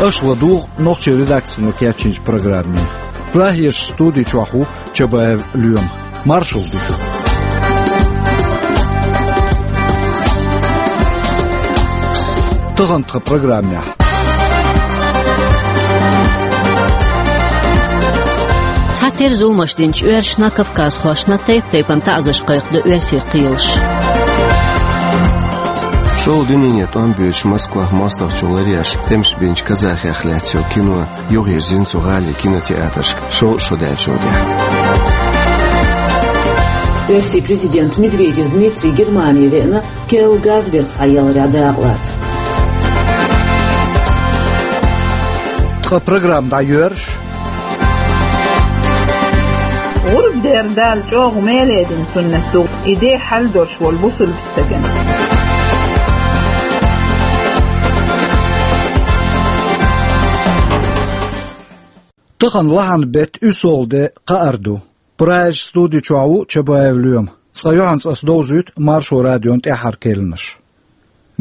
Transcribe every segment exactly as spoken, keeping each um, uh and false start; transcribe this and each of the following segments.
Аша ладугӀу нохчийн редакцино кечйинчу программе. Прагерчу студи чохь ву Чабаев Лоьма. Маршалла ду шуьга. Тахана тхан программехь. Цхьатерра зуламаш динчу оьрсашна, кавказхошна тайп-тайпана таӀзарш кхайкхадо оьрсийн кхелаша. ШолгӀа дуьненан тӀом боьдуш Москвахь мостагӀчо ларъеш, тӀемаш бинчу казахех лаьцна йолу кино юхавирзина цу гӀалин кинотеатрашка шовзткъа шо даьллачул тӀаьхьа. Оьрсийн президент Медведев Дмитрий Германи веана, керла газ биргӀа схьаяларехь дакъалаца. Тхан программа дӀайоьрзуш. ГӀурба дер Дала чӀогӀа меледина суннат ду, и де хьал долуш волу бусулба стагана. Тахана лахьан беттан уьссалгӀа де, кхаарду. Прагерчу студи чохь ву Чабаев Лоьма. Цкъа юьхьанца ас довзуьйту Маршо радион тӀаьххьара керланаш.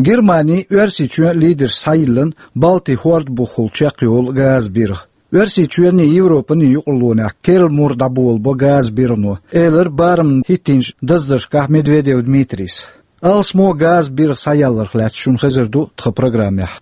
Германи Оьрсийчоьнан лидерш схьайиллина Балтин хӀорда бухахула чекхйолу газан биргӀа. Оьрсийчоьнний Европаний юкъарлонехь керла мур дӀаболабо газан биргӀано, элира барамна хӀиттийначу даздаршкахь Медведев Дмитрийс. Алсамо газан биргӀа схьаяларх лаьцна шуна хезар ду тхан программехь.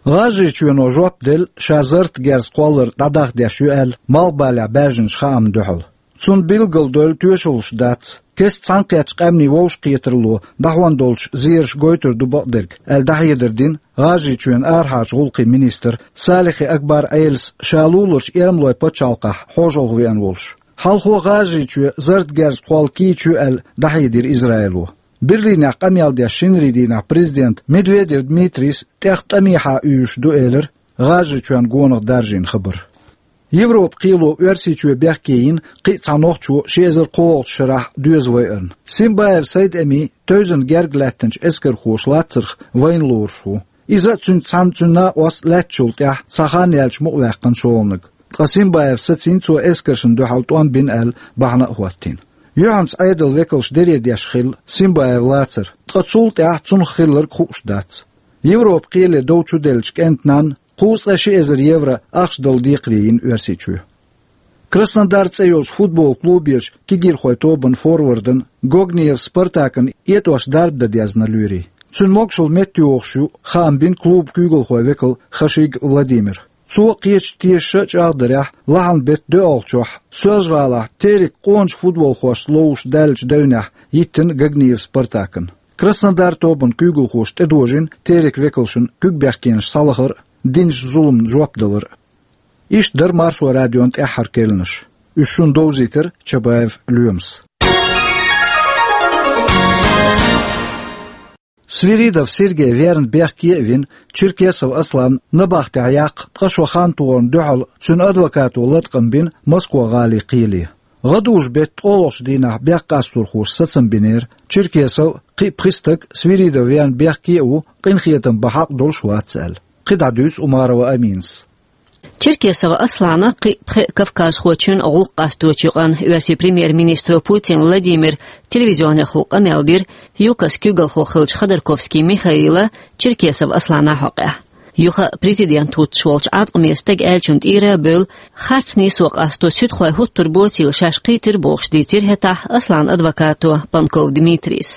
ГӀажарийчоьно жоп делла, ша зарратан герз кхоллар дӀадахьа деш ю аьлла, Малхбалехь баьржинчу хаамна дуьхьал. Цунна билгалдойла тоьшаллаш дац. Кеста цхьаьнакхеттачу къаьмнийн вовшахкхетаралло дӀахьон долчу зераша гойтур ду бакъдерг, аьлла дӀахьедар дина ГӀажарийчоьнан арахьарчу гӀуллакхийн министра Салихи Акбар Ӏелас, ша луларчу Эрмалойн пачхьалкхехь хьошалгӀа веана волуш. Хьалхо ГӀажарийчоь зарратан герз кхолла кийча ю аьлла дӀахьедира Израило. Берлинехь къамел деш шинарийн дийнахь президента Медведев Дмитрийс тӀех тӀамехьа уьйзуш ду элира ГӀажарийчоьнна гонах даржийна хабар. Европан кхело Оьрсийчоь бехке йина кхин а цхьа нохчо ши эзар кхоалгӀачу шарахь доьза вайарна. Симбаев Сайд-Эми тевзана герга лаьттинчу эскархоша лацарх вайна лоруш ву. Иза а, цуьнца цхьаьна цуьнан накъост а лаьттачул тӀаьхьа цхьа хан яьлча мукъаваьккхина шолгӀаниг. Ткъа Симбаев сацийна цо эскаршна дуьхьал тӀом бина аьлла бахьана а хӀоттийна. Юьхьанца Ӏедалан векалш дере деш хилла Симбаев лацар, ткъа цул тӀаьхьа цунах хилларг хууш дац. Европан кхеле дов чуделлачу кӀентан нанна кхузткъе ши эзар евро ахча дала декхаре йина Оьрсийчоь. Краснодар цӀе йолчу футбол клуберчу кегийрхойн тобанан форвардана Гогниев Спартакана этӀош дарба дан дезна лоьрийн. Цуьнан могушалла меттайогӀуш ю, хаам бина клубан куьйгалхойн векал Хашиг Владимира. Цо кхечу тешаша а чӀагӀдарехь, лахьан беттан доьалгӀачохь Соьлжа-ГӀалахь Терек къоначу футболхошца ловзуш даьллачу девнехь йиттина Гогниев Спартакана. Краснодар тобанан куьйгалхоша тӀедожийна Терекан векалшна куьг бехкенаш схьалахар а, динчу зуламна жоп далар а. Иштта дара Маршо радион тӀаьххьара керланаш. Уьш шуна довзийтира Чабаев Лоьмас. Свиридов Сергей верна бехке а вина, Черкесов Аслан набахтехь яккха ткъа шо хан тохарна дуьхьал цуьнан адвокато латкъам бина Москва-гӀалин кхеле. ГӀадужу беттан ткъолгӀачу дийнахь бехккъасторхоша сацам бинера, Черкесов, кхин а пхи стаг Свиридов верна бехке а ву, къинхетам бан хьакъ долуш вац аьлла. КхидӀа дуьйцу Умарова Аминас. Черкесов Аслана, кхин а пхеа кавказхочун гӀуллакх къасточу юкъанна оьрсийн премьер-министро Путин Владимира телевизионехула къамел дира ЮКОС куьйгалхо хиллачу Ходорковский Михаила Черкесов Аслана хьокъехь. Юха а президент хӀуттуш волчу Ӏаткъаме стага аьллачун тӀера а бевлла, харц нийсо къасто суьдхой хӀуттур боцийла шаьш кхийтира бохуш дийцира хӀетахь Асланан адвокато Панков Дмитрийс.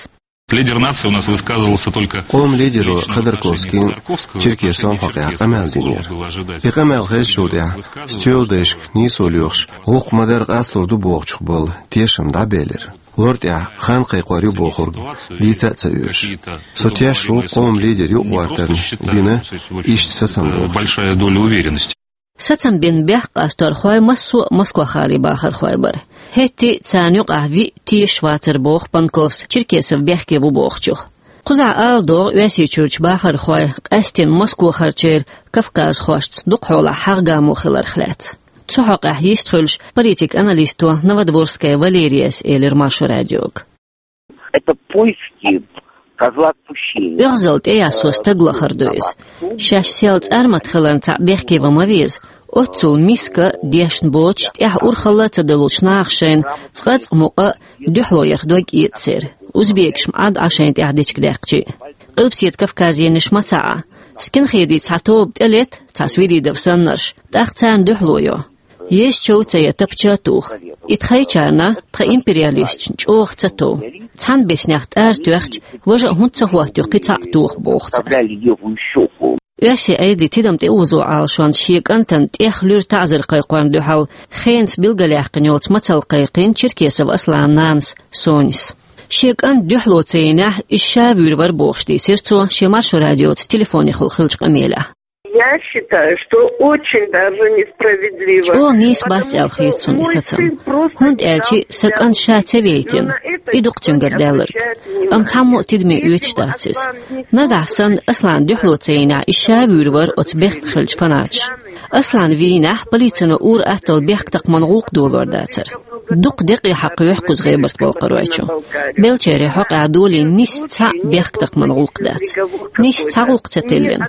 Лидер нации у нас высказывался только... Къоман лидеро Ходорковскийна Черкесовн хьокъехь къамел динера. И къамел хезначул тӀаьхьа стеладайшка нийсо лоьхуш, гӀуллакх ма-дарра къастор ду бохучух болу тешам дӀабелира. Лор тӀехь хан кхайкхор ю бохург дийца а ца оьшуш. Со тешаш ву къоман лидер юкъагӀоттарна бина иштта сацам бохучух. Большая доля уверенности. Сацам бина бехккъасторхой массо а Москва-гӀалин бахархой бара. ХӀетте а царна юкъахь виъ тешаш вацара боху Панковс Черкесов бехке ву бохучух. Кхузахь ала догӀу Оьрсийчуьрчу бахархой къаьсттина Москвахарчеран кавказхошца дукхахьолахь хьагӀ-гамо хиларх лаьцна. Цу хьокъехь йистхуьлуш политик-аналисто Новодворская Валерияс элира Маршо радиога. Это поиски козла отпущения. ОьгӀазалла тӀеяссо стаг лахар ду иза. Шаьш сел цӀармат хиларна цхьаъ бехке ван ма веза. Оццул миска, дешна боцуш, тӀехь урхалла а ца деллачу наха шайна цкъа-цкъа мукъа а, дуьхьало ярх дог а эццера. Узбекаш ма Ӏа шайна тӀехь дечиг даьккхича а. Къилбаседа Кавказенаш ма ца Ӏа. Скинхедийн цхьа тоба тӀелетта, цхьа Свиридов саннарш, тӀаккха царна дуьхьало йо. Езача ца я, тапча а тоха. И тхайчарна, тха империалисташна чӀогӀа ца тов. Цхьана беснех тӀара тоьхча, важа а хӀунда ца хӀоттайо кхин цхьаъ тоха, боху цара. Оьрсийн Ӏедалан тидам тӀеозо Ӏалашонца шен кӀантана тӀех луьра таӀзар кхайкхорна дуьхьал хенца билгалъяьккхина йолчу мацалла кхайкхина Черкесов Асланан нанас Соньяс. Шен кӀант дуьхьало ца йинехь, иза ша вуьйр вара бохуш дийцира цо шен Маршо радиоца телефонехула хиллачу къамелехь. Я считаю, что очень даже несправедливо. ЧӀогӀа нийса бац аьлла хета суна и сацам. ХӀунда аьлча сан кӀант ша ца вейтина, и ду-кх цуьнгара даьлларг. Амма цхьаммо а тидаме оьцуш дац иза. Нагахь санна Аслана дуьхьало ца йинехь, иза ша вуьйр вара оцу бехк хиллачу фанаташа. Аслан вийнехь, полицино ур-атталла бехктакхаман гӀуллакх долор дацара. Дукха декъе хьакхоьхьу кхуза ГӀебарта-Балкхаройчу. Беллачеран хьокъехь долийна нисса цхьаъ бехктакхаман гӀуллакх дац. Нисса цхьа гӀуллакх ца тиллина.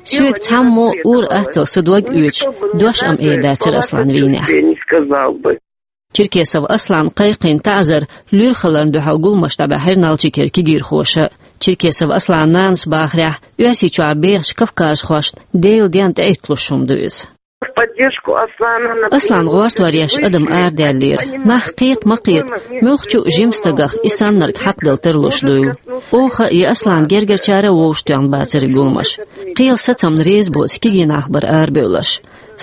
Соьга цхьаммо ур-атталла сан дог оьцуш, дош а ма эр дацара Аслан вийнехь. Черкесов Аслана кхайкхийна таӀзар луьра хиларна дуьхьал гуламаш дӀабаьхьира Налчикера кегийрхоша. Черкесов Асланан нанас бахарехь, Оьрсийчохь бехачу кавказхошна Делан денна тӀеитталуш хӀума ду иза. В поддержку Аслана, например, Аслан гӀортор еш адам арадаьллера. Нах кхета ма кхета, муьлххачу а жима стагах и саннарг хьакхаделла тарлуш дуйла. Оха я Аслана гергарчара а вовшахтоьхна бацара и гуламаш. Кхелан сацамна реза боцу кегий нах бара арабевлларш.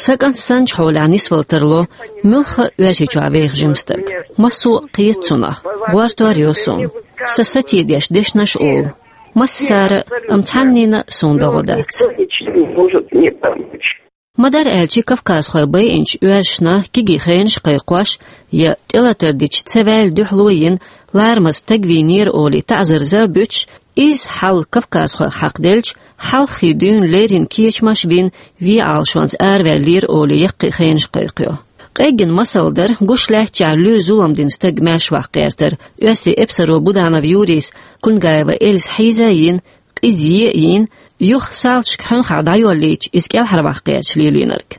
Сан кӀант санначу хьолехь нисвала тарло муьлхха а Оьрсийчохь веха жима стаг. Массо а кхета цунах, гӀортор йо суна. Сан сатийдеш дешнаш а олу. Массара а, амма цхьаннина а суна догӀа дац. Никто ничем не может мне помочь. Ма-дарра аьлча, кавказхой байинчу оьрсашна кегий хенаш кхайкхош я тӀелатар дича ца ваьлла дуьхьало йина, ларамаза стаг вийнера олий таӀзар-за буьтуш, изза хьал кавказхойх хьакхаделча, хьалххе дуьйна леррина кечамаш а бина, вен Ӏалашонца араваьллера олий яккхий хенаш кхайкхайо. Къеггина масал дара гуш лаьттачохь луьра зулам дина стаг маьршаваккха гӀертар оьрсийн эпсаро Буданов Юрийс Кульгаева Эльза хьийза а йина, къиза е а йина, юха салташка хьуьнхахь дӀайоллийча, иза кӀелхьарваккха гӀерташ лелийнарг.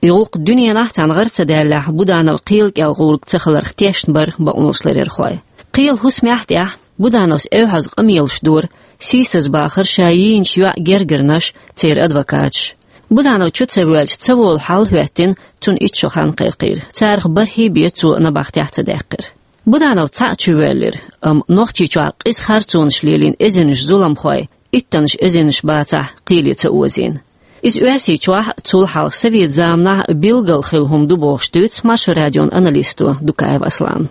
И гӀуллакх дуьненахь цхьаьна гӀар ца даьллехь, Буданов кхелан кӀел гӀург ца хиларх тешна бара бакъонашларъярхой. Кхелан хӀусамехь а тӀехь Будановс эвхьаза къамелаш дора, сийсаза бахара ша йийначу йоӀан гергарнаш, церан адвокаташ. Буданов чу ца воьлча, ца волу хьал а хӀоьттина, цунна итт шо хан кхайкхийра. Царах бархӀе бен цо набахтехь ца даьккхира. Буданов цхьаъ чувоьллира, амма Нохчийчохь къиза харцонаш лелийна эзарнаш зуламхой, иттаннаш эзарнаш бацахь, кхеле ца озийна. Иза Оьрсийчохь а, цул хьалха совет заманахь а билггал хилла хӀума ду бохуш дуьйцу Маршо радион аналисто Дукаев Аслана.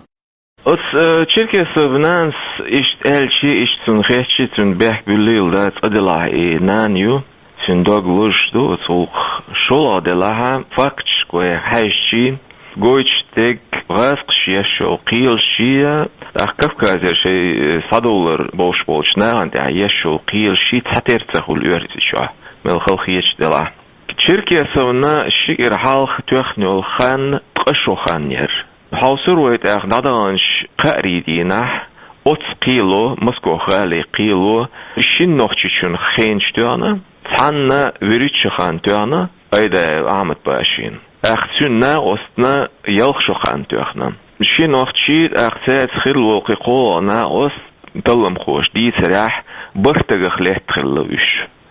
Оцу, э, Черкесов нанас иштта аьлча, иштта цунна хетча, цуьнан бехк буьллийла дац, цкъа делахь и нана ю, цуьнан дог луш ду оцу гӀуллакхах. ШолгӀа делахь, факташка вай хьаьжча, гойтуш дерг гӀазкхаша еш йолу кхелаш я, тӀаккха Кавказера шайн схьадовлар бовш болчу нахана тӀехь еш йолу кхелаш цхьатерра ца хуьлу Оьрсийчохь, мел хала хеташ делахь. Черкесовна ши кӀира хьалха тоьхна йолу хан ткъа шо хан яра. Хьовсур вай тӀаккха дӀадаханчу кхаарийн дийнахь, оццу кхело, Москох гӀалин кхело, шина нохчичун хенаш тоьхна, цхьанна вуьрхӀитта шо хан тоьхна Айдаев Ахьмад-Пашина. ТӀаккха цуьнан накъостна ялх шо хан тоьхна. Ши нохчий, тӀаккха цаьрца хилла волу кхин кхоалгӀа накъост, талламхоша дийцарехь, бархӀ дагах летта хилла уьш.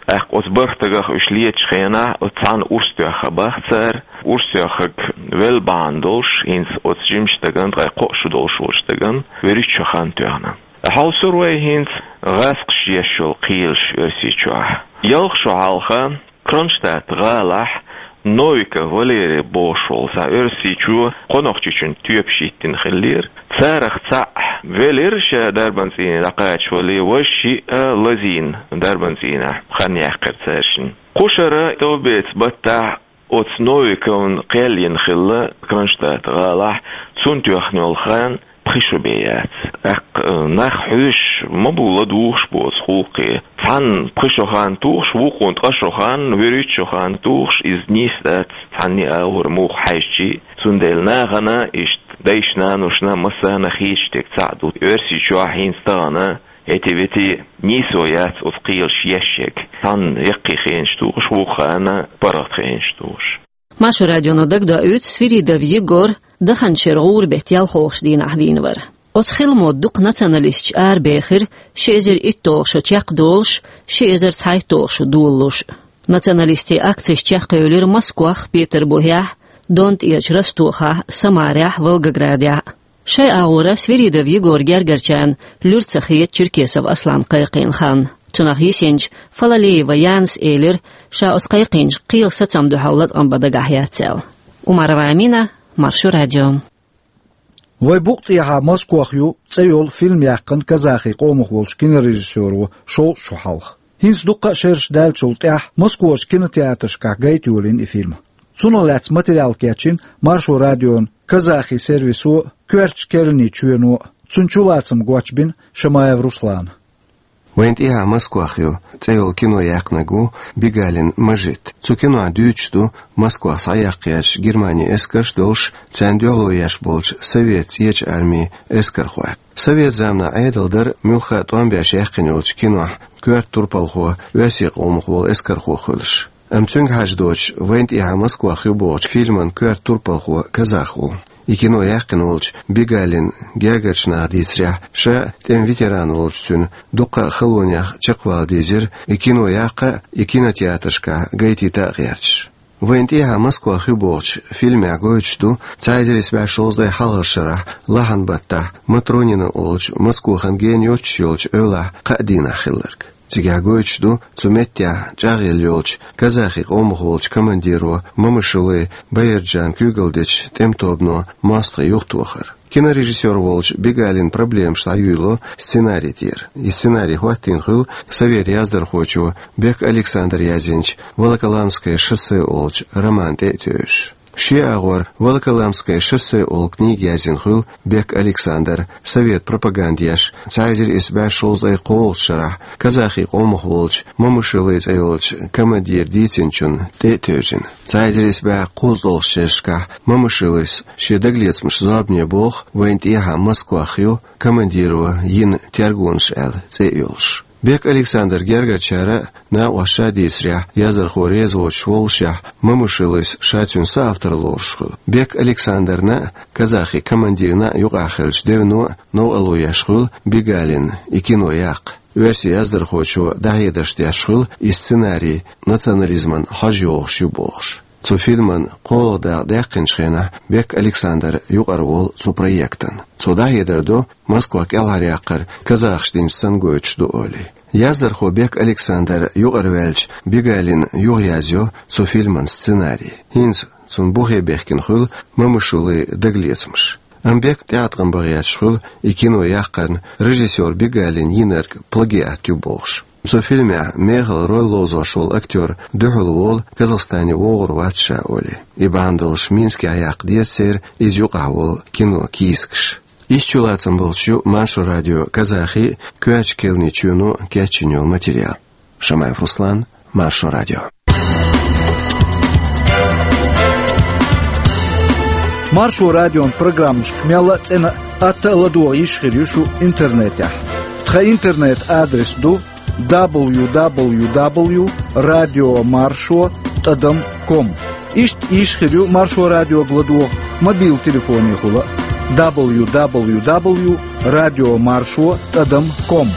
ТӀаккха оцу бархӀ дагах уьш летачу хенахь, оцу цхьанна урс тоьхна бах цара, урс тоьхнарг велла бахьана долуш, хӀинца оцу жимачу стагана, ткъе кхоъ шо долуш волчу стагана, вуьрхӀитта шо хан тоьхна. Хьовсур вай хӀинца гӀазкхаша еш йолу кхелаш Оьрсийчохь. Ялх шо хьалха Кронштадт гӀалахь Новиков Валерий бохуш волу цхьа оьрсичо кхо нохчичун тоьпаш йиттина хиллера. Царах цхьаъ велира, ша дарбан цӀийне дӀакхачавале, важа шиъ а лазийна дарбан цӀийнехь хан яьккхира цаьршинна. Кху шарахь товбеца баттахь оцу Новиковна кхел йина хилла Кронштадт гӀалахь, цунна тоьхна йолу хан пхи шо бен яц. ТӀаккха, э, нах хьоьжуш ма бу ладугӀуш бу оцу гӀуллакхе. Цхьанна пхи шо хан тухуш, вукхунна ткъа шо хан, вуьрхӀитта шо хан тухуш, иза нийса дац цхьанне а агӀор муха хьаьжча а. Цундела нахана, иштта дайшна-наношна, массарна хеташ дерг цхьаъ ду: Оьрсийчохь хӀинца тахана, эти-вети нийсо яц оцу кхелаш еш ерг. Цхьанна яккхий хенаш тухуш, вукху ханна паргӀат хенаш тухуш. Маршо радионо дагадоуьйту Свиридов Егор даханчу шеран гӀуран беттан ялхолгӀачу дийнахь вийна вара. Оцу хиламо дукха националисташ арабехира, ши эзар иттолгӀа шо чекхдолуш, ши эзар цхьайттолгӀа шо долалуш. Националистийн акцеш чекхъевлира Москвахь, Петарбухехь, Дон тӀерачу Ростохахь, Самарехь, Волгоградехь. Шайн агӀора Свиридов Егор гергарчарна луьра ца хета Черкесов Аслан кхайкхийна хан. Цунах йисинчу Фалалеева Янас элира, ша оцу кхайкхийначу кхелан сацамна дуьхьал латкъам бан дагахь яц аьлла. Умарова Амина, Маршо радио. «Вай букъ тӀехьа Москох ю» цӀе йолу фильм яьккхина казахи къомах волчу кинорежиссёро шовзткъа шо хьалха. ХӀинца дуккха а шераш даьллачул тӀаьхьа Москохчу кинотеатрашкахь гайта йолийна и фильм. Цунах лаьцна материал кечйина Маршо радион казахи сервисо а, коьртачу керланийн чоьно а. Цуьнан чулацам гочбина Шамаев Руслана. «Вайна тӀехьа Москох ю» цӀе йолу кино яьккхинарг ву Бигалин Мажит. Цу кинохь дуьйцуш ду Москох схьаяккха гӀерташ Германин эскарш а долуш, царна дуьхьало еш болчу Совет ЦӀечу Армин эскархой. Совет заманахь Ӏедал дара муьлхха а тӀом беш яьккхина йолчу кинохь коьрта турпалхо оьрсийн къомах волу эскархо хуьлуш. Амма цуьнга хьажа доцуш, «Вайна тӀехьа Москох ю» бохучу фильман коьрта турпалхо казах ву. И кино яьккхина волчу Бигалин гергарчу наха дийцарехь, ша тӀеман ветеран волчу цуьнан дуккха а халонех чекхвала дезира, и кино яккха а, и кинотеатрашкахь гайтийта а гӀерташ. «Вайна тӀехьа Москох ю» бохучу фильмехь гойтуш ду цхьа эзар исс бӀе шовзткъе хьалхарчу шарахь лахьан баттахь Матронина олучу Москохан гена йоцуш йолчу эвлахь кхаа дийнахь хилларг. Цигахь гойтуш ду цу меттехь чӀагӀъелла йолчу казахи къомах волчу командиро Мамышулы Баирджана куьйгалла дечу тӀеман тобано мостагӀий юхатохар. Кинорежиссёр волчу Бигалина проблемаш дӀаюьйло сценарий тӀера. И сценарий хӀоттийна хуьлу совет яздархочо Бек Александра язйинчу «Волоколамское шоссе» олучу роман тӀе а тевжаш. Шен агӀор «Волоколамское шоссе» олу книга язйина хуьлу Бек Александра, совет пропаганда еш, цхьа эзар исс бӀе шовзткъе кхоалгӀачу шарахь казахи къомах волчу Мамышулы цӀе йолчу командира дийцинчунна тӀе а тевжина. Цхьа эзар исс бӀе кхузткъалгӀачу шерашкахь Мамышулыс шен дагалецамашна зорбане боху «Вайна тӀехьа Москох ю» командиро йина тергонаш аьлла цӀе а йолуш. Бек Александра гергарчара а, накъосташа а дийцарехь, яздархо реза воцуш воллушехь, Мамышулыс ша цуьнан соавтор лоруш хуьлу. Бек Александрна а, казахи командирна а юкъахь хиллачу девно а новкъарло еш хуьлу Бигалина и кино яккха. Оьрсийн яздархочо дӀахьедарш деш хуьлу и сценарий национализман хьожа йогӀуш ю бохуш. Цу фильман кхоалгӀа дакъа даьккхинчу хенахь Бек Александр юкъара волу цу проектан. Цо дӀахьедар до Москва кӀелхьаръяккхар казахаша динчу санна гойтуш ду олий. Яздархо Бек Александр юкъара ваьлча, Бигалина юхаязйо цу фильман сценарий. ХӀинца цунна бухе бехкина хуьлу Мамышулы дагалецамаш. Амма Бека тӀеӀаткъам бан гӀерташ хуьлу и кино яккхарна режиссёр Бигалина йинарг плагиат ю бохуш. Цу фильмехь мехала роль ловзош волу актёр дуьхьал волу, Казахстане вогӀур вац ша олий. И бахьана долуш Минскехь яккха деза церан иза юкъахь волу кино кийсакаш. Иштта чулацам болуш ю Маршо радион казахи а, коьртачу керланийн чоьно а кечйина йолу материал. Шамаев Руслан, Маршо радио. Маршо радион программашка мелла а цӀена а, атта а ладогӀа йиш хир ю шу интернетехь. Тхан интернет-адрес ду дабл ю дабл ю дабл ю радио маршо тӀадам ком. Иштта йиш хир ю Маршо радиога ладогӀа мобил телефонехула а: дабл ю дабл ю дабл ю радио маршо тӀадам ком.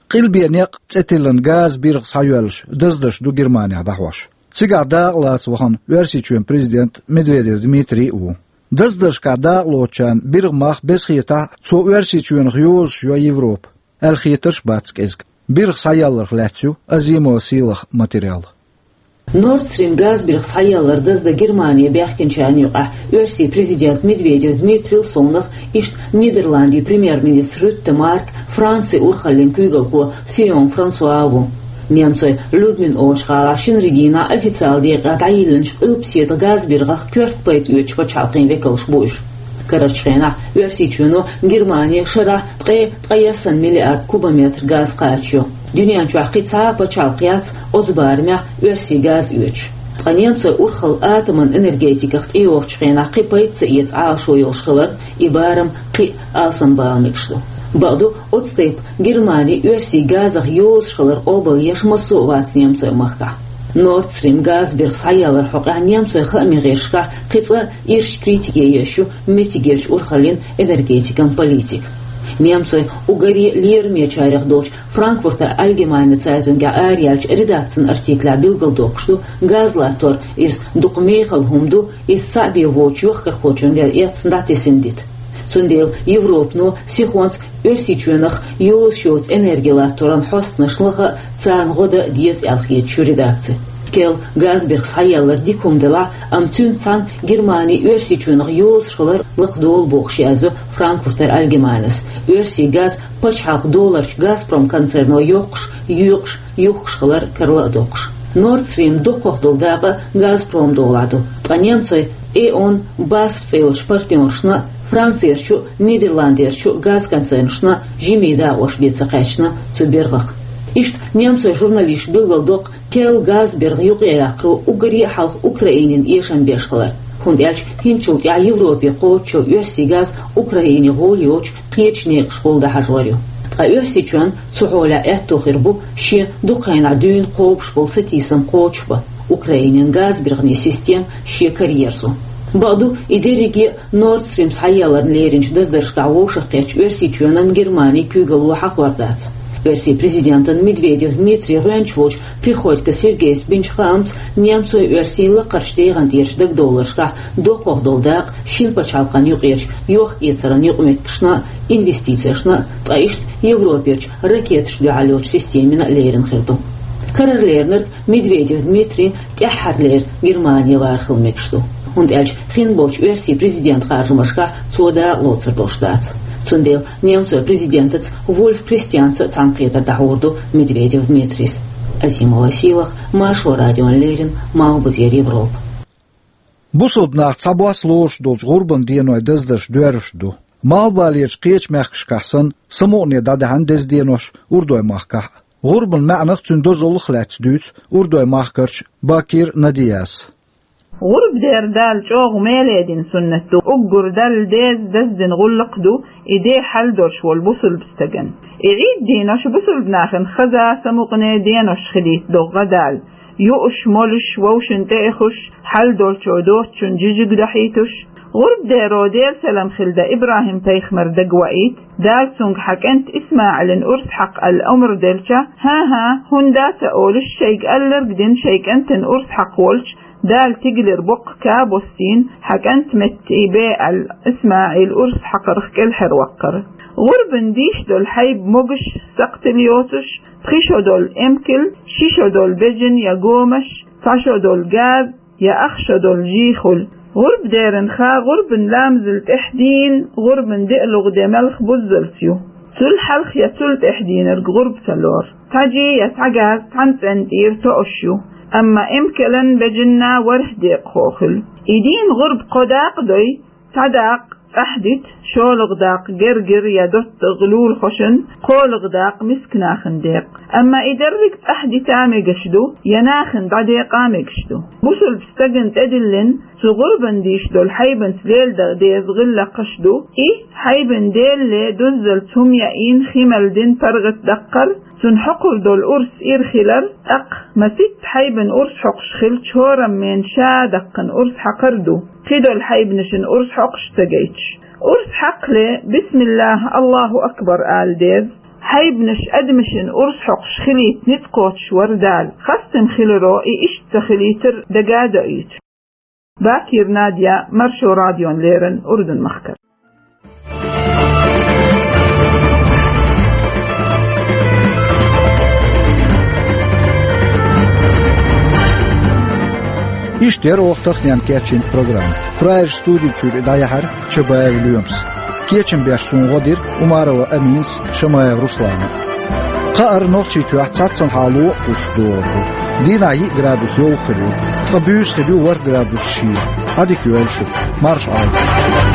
«Къилбен некъ» цӀе тиллина газан биргӀа схьайоьллуш даздарш ду Германехь дӀахьош. Цигахь дакъа лаца вахана Оьрсийчоьнан президент Медведев Дмитрий а ву. Даздаршкахь дакъа лоцучарна биргӀа мах, беза хетахь а, цо Оьрсийчоьнах йозуш йо Европа аьлла хетарш а бац кӀезиг. БиргӀа схьаелларх лаьцна ю Азимова Сийлахан материал. Nord Stream газбиргӀа схьаеллар даздан Германе баьхкинчарна юкъахь Оьрсийн президент Медведев Дмитрийла совнаха, иштта Нидерландийн премьер-министр Рютте Марк, Францин урхаллин куьйгалхо Фион Франсуа а ву. Немцойн Люблин олучу гӀалахь шинарин дийнахь официалан декъехь дӀайиллинчу къилбаседа газбиргӀах коьрта пайда оьцучу пачхьалкхийн векалш бу уьш. Карарчу хенахь Оьрсийчоьно Германе шарахь ткъе ткъаяссана миллиард кубометр газ кхачайо. Дуьнен чохь кхин цхьа а пачхьалкх яц оцу барамехь оьрсийн газ оьцуш. Ткъа немцойн урхалла атоман энергетиках тӀейогӀучу хенахь кхин пайда ца эца Ӏалашо йолуш хиларна, и барам кхин а алсамбала мегаш ду. Бакъду, оцу тайпа Германи оьрсийн газах йозуш хилар къобалъеш массо а вац немцойн махкахь. Nord Stream газбиргӀа схьаяларах хьокъехь немцойн хааман гӀирсашкахь кхин цкъа ирча критике еш ю меттигерчу урхаллин энергетикан политика. Немцойн уггаре лерамечарех долчу Франкфуртер Альгемайне Цайтунгехь араяьллачу редакцин артиклехь билгалдоккхуш ду, газ латтор иза дукха мехала хӀума ду, иза цхьаъ бен воцучу йохкархочунна вер эцна дӀатесина дита. Цундела Европано сихонца Оьрсийчоьнах йозуш йоцу энерги латторан хьостанаш лаха а, царна гӀо дан а деза аьлла хеташ ю редакци. Керла газбиргӀа схьаялар дика хӀума делахь а, амма цуьнца цхьаьна Германи Оьрсийчоьнах йозуш хилар лакхадолу бохуш язйо Франкфуртер Альгемайнас. Оьрсийн газ пачхьалкхан долларчу Газпром концерно йоккхуш, йоькъуш, юхкуш хилар карла а доккхуш. Nord Stream доккхах долу дакъа Газпром долахь ду, ткъа немцойн Э.О.Н. басф цӀе йолчу партнершна а, Францерчу а, Нидерландерчу а газконцернашна а жимма дакъош бен ца кхаьчна цу биргӀах. Иштта немцойн журналисташа билгалдоккху керла газбиргӀа юкъаяккхаро уггаре а хьалха Украинина эшам беш хилар, хӀунда аьлча хӀинцачул тӀаьхьа Европе кхочуш йолу оьрсийн газ Украине гӀоли йоцуш кхечу некъашкахула дӀахьажор ю. Ткъа Оьрсийчоьнна цу хьолехь аьтто хир бу шен дукха хенахь дуьйна кхобуш болу сатийсам кхочушбан, Украинин газбиргӀанийн система шен караерзо. Бакъду, и дерриге а Nord Stream схьаяларна леринчу даздаршкахь вовшахкхеттачу Оьрсийчоьнан, Германин куьйгалло хьахор дац. Оьрсийн президентан Медведев Дмитрий гӀоьнча волчу Приходько Сергейс бинчу хаамца, немцойн-оьрсийн лакхарчу дегӀан тӀерачу дагадовларшкахь доккхах долу дакъа шина пачхьалкхан юкъерчу йохк-эцаран юкъаметтигашна а, инвестицешна а, ткъа иштта Европерчу ракеташна дуьхьал йолчу системина а лерина хир ду. Карара леринарг Медведев Дмитрий тӀаьххьарлера Германе вархила мегаш ду, хӀунда аьлча хин болчу оьрсийн президентан харжамашкахь цо дакъа лоцур долуш дац. Цундела немцойн президентаца Вульф Кристианца а цхьаьнакхетар дӀахьур ду Медведев Дмитрийс. Азимова Сийлаха, Маршо радиона леррина, Малхбузера Европа. Бусалба нах цхьабосса лоруш долчу гӀурбан денойн даздарш доьрзуш ду. Малхбалерчу кхечу мехкашкахь санна, самукъане дӀадаьхьна деза денош Урдой-махкахь а. ГӀурбан маьӀнах, цуьнан дозаллах лаьцна дуьйцу Урдой-махкарчу Бакир Надияс. ГӀурба дер Дала чӀогӀа меле дина суннат ду. Уггар Далла деза, даздина гӀуллакх ду и де хьал долуш волу бусалба стагана. И Ӏид денош бусалба нахана хаза, самукъане денош хилийта догӀа Дала. Юуш, молуш, вовшийн тӀе а ихуш, хьал долчо доцучун жижиг дахьийтуш, гӀурба деро, Делан салам хилда, ИбрахӀим-пайхамар дагаваийта, Дала цуьнга хьан кӀант ИсмаӀилан урс хьакха аьлла омра делча, хӀан-хӀа, хӀунда дац а олуш, шайга алларг дина, шайн кӀантана урс хьакха волчу, Дала тигалера боккха ка боссийна, хьан кӀант меттахь бе аьлла, ИсмаӀил урс хьакхарх кӀелхьарваккхара. ГӀурбан дийш долу хьайба могуш, сакхтила йоцуш, пхи шо долу эмкал, ши шо долу бежан я гомаш, цхьа шо долу газ, я ах шо долу жий хуьлу. ГӀурба деран ха гӀурбан ламазал тӀаьхьа дийна, гӀурбан диълагӀа де малх буззалц ю. Цул хьалха я цул тӀаьхьа дийнарг гӀурба ца лору. Цхьа жий я цхьа газ цхьана цӀенна тӀера тоъуш ю, амма эмкалан, бежанна ворхӀ декъахо хуьлу. И дийна гӀурба кхо дакъа дой, цхьа дакъа цӀахь дита, шолгӀа дакъа гергара я доттагӀа лулахошна, кхоалгӀа дакъа мискачу нахана декъа. Амма и дерриг цӀахь дита мегаш ду, я нахана дӀадекъа мегаш ду. Бусалба стагана тӀедиллина, цу гӀурбан дийш долу хьайбанца леладан деза гӀиллакхаш ду. И хьайбан делле дуззалц хӀума яийна, хи мел дина паргӀат даккхар, цуьнан хьокхур долу урс ира хилар, тӀаккха масийтта хьайбан урс хьокхуш хилча, хӀораммена ша даккхана урс хьакхар ду. Кхидолу хьайбанашна урс хьокхуш ца гайташ. Урс хьакхале, бисмиллахӀ, АллахӀу акбар ала деза. Хьайбанаш адамашна урс хьокхуш хилийта ницкъ кхочуш вара Дала. Хастам хиларо и иштта ца хилийтар дага а доуьйту. Бакир Надя, Маршо радиона леррина, Урдун-махкара. Иштта яра оха таханенна кечйина программа. Прагерчу студи чуьра и дӀаяьхьира Чабаев Лоьмас. Кечам беш суна гӀо дира Умарова Аминас, Шамаев Руслана. Кхаара Нохчийчохь цхьаццанхьа лоӀа кхуссуш догӀур ду. Дийнахь йиъ градус йовха хир ю, ткъа буьйса хир ю ворхӀ градус шийла. Ӏадика йойла шуьга, марша Ӏойла.